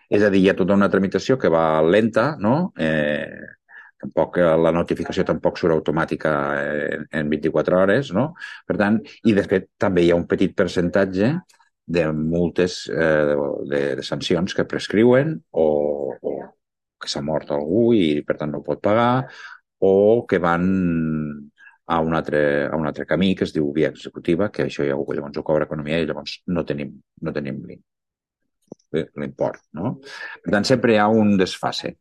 És a dir, hi ha tota una tramitació que va lenta, no? Tampoc, la notificació tampoc surt automàtica en 24 hores, no? Per tant, i de fet també hi ha un petit percentatge de multes, de sancions que prescriuen o que s'ha mort algú i per tant no pot pagar o que van a un altre camí que es diu via executiva, que això ja llavors ho cobra economia i llavors no tenim l'import, no? Per tant, sempre hi ha un desfase.